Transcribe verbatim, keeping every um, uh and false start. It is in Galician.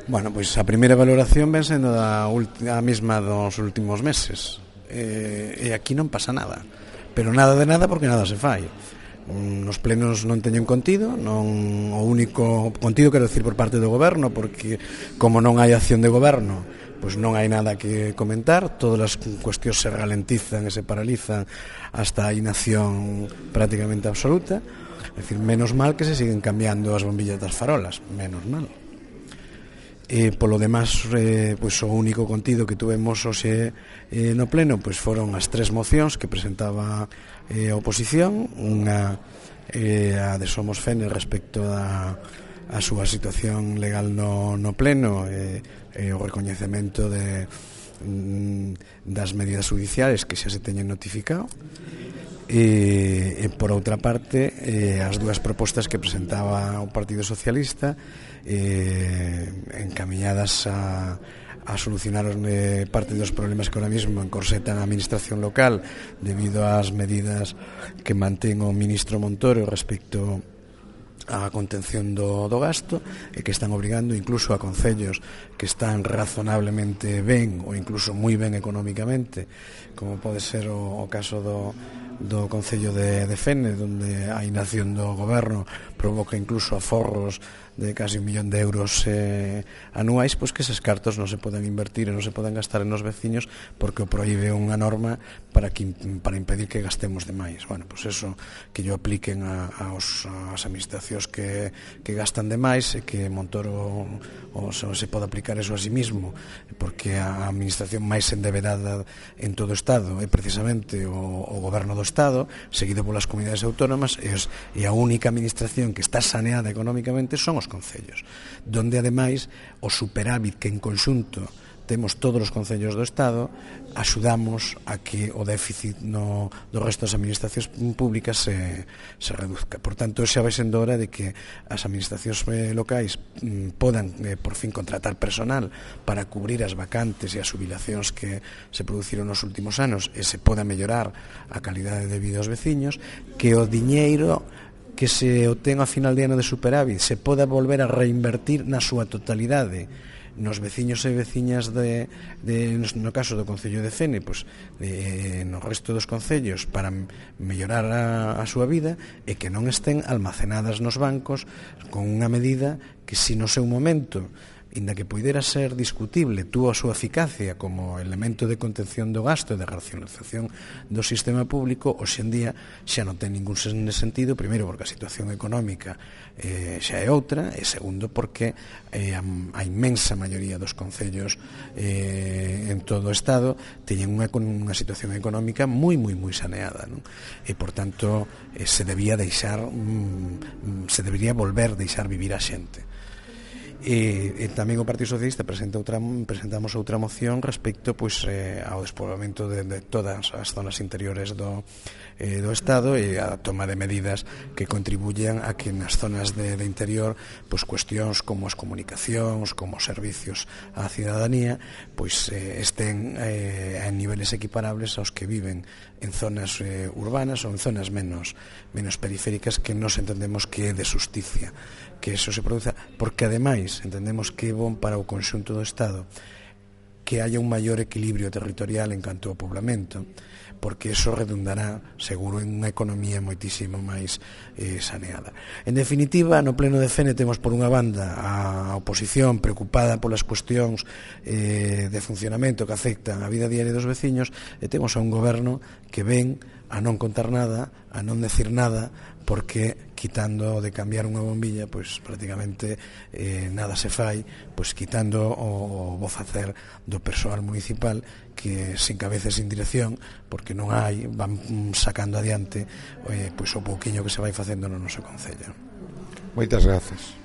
Bueno, pois a primeira valoración ven sendo a, a mesma dos últimos meses, e, e aquí non pasa nada, pero nada de nada porque nada se fai. Nos plenos non teñen contido, non o único contido quero decir por parte do goberno, porque como non hai acción de goberno, pois non hai nada que comentar, todas as cuestións se ralentizan e se paralizan hasta a inacción prácticamente absoluta. É dicir, menos mal que se siguen cambiando as bombillas das farolas, menos mal. E polo demás, eh, pois o único contido que tuvemos hoxe eh, no pleno pois foron as tres mocións que presentaba eh, a oposición, unha eh, a de Somos Fene respecto a, a súa situación legal no, no pleno e eh, eh, o recoñecemento de, mm, das medidas judiciales que xa se teñen notificado. E, e por outra parte eh, as dúas propostas que presentaba o Partido Socialista eh, encamiñadas a, a solucionar eh, parte dos problemas que ahora mismo encorsetan a administración local debido ás medidas que mantén o ministro Montoro respecto a contención do, do gasto e que están obrigando incluso a concellos que están razonablemente ben ou incluso moi ben económicamente, como pode ser o, o caso do do Concello de, de Fene, onde a inacción do goberno provoca incluso aforros de casi un millón de euros eh, anuais, pois que eses cartos non se poden invertir e non se poden gastar en os veciños porque o proíbe unha norma para que para impedir que gastemos demais. Bueno, pois eso que yo apliquen a, aos, as administracións que, que gastan demais e que Montoro o, se pode aplicar eso a sí mismo, porque a administración máis endevedada en todo o Estado é precisamente o, o goberno do Estado, seguido polas comunidades autónomas, e, os, e a única administración que está saneada económicamente son os concellos, donde ademais o superávit que en conxunto temos todos os concellos do Estado axudamos a que o déficit no, do resto das administracións públicas se, se reduzca. Por tanto, xa vai sendo hora de que as administracións eh, locais mm, podan eh, por fin contratar personal para cubrir as vacantes e as jubilacións que se produciron nos últimos anos e se poda mellorar a calidade de vida aos veciños, que o diñeiro que se obtén a final de ano de superávit se poda volver a reinvertir na súa totalidade nos veciños e veciñas de, de no caso do Concello de Fene, pois, de, no resto dos concellos para mellorar a, a súa vida e que non estén almacenadas nos bancos con unha medida que si no seu momento, inda que poidera ser discutible, tuvo a súa eficacia como elemento de contención do gasto e de racionalización do sistema público, hoxe en día xa non ten ningún sentido, primeiro porque a situación económica eh, xa é outra, e segundo porque eh, a, a inmensa maioría dos concellos eh, en todo o Estado teñen unha, unha situación económica moi, moi, moi saneada, non? E, por tanto, eh, se debía deixar, mm, se debería volver deixar vivir a xente. E, e tamén o Partido Socialista presenta outra, presentamos outra moción respecto pois, eh, ao despoboamento de, de todas as zonas interiores do, eh, do Estado e a toma de medidas que contribuyan a que nas zonas de, de interior pois, cuestións como as comunicacións, como os servicios á cidadanía pois, eh, estén eh, en niveles equiparables aos que viven en zonas eh, urbanas ou en zonas menos, menos periféricas, que nos entendemos que é de xusticia que eso se produza, porque ademais entendemos que é bon para o conxunto do Estado que haya un maior equilibrio territorial en canto ao poblamento, porque eso redundará seguro en unha economía moitísimo máis eh, saneada. En definitiva, no pleno de Fene temos por unha banda a oposición preocupada polas cuestións eh, de funcionamento que afectan a vida diaria dos veciños, e temos a un goberno que ven a non contar nada, a non decir nada, porque quitando de cambiar unha bombilla, pois prácticamente eh, nada se fai, pois quitando o, o bo facer do persoal municipal que sin cabeza e sin dirección, porque non hai, van sacando adiante eh, pois o pouquiño que se vai facendo no noso concello. Moitas grazas.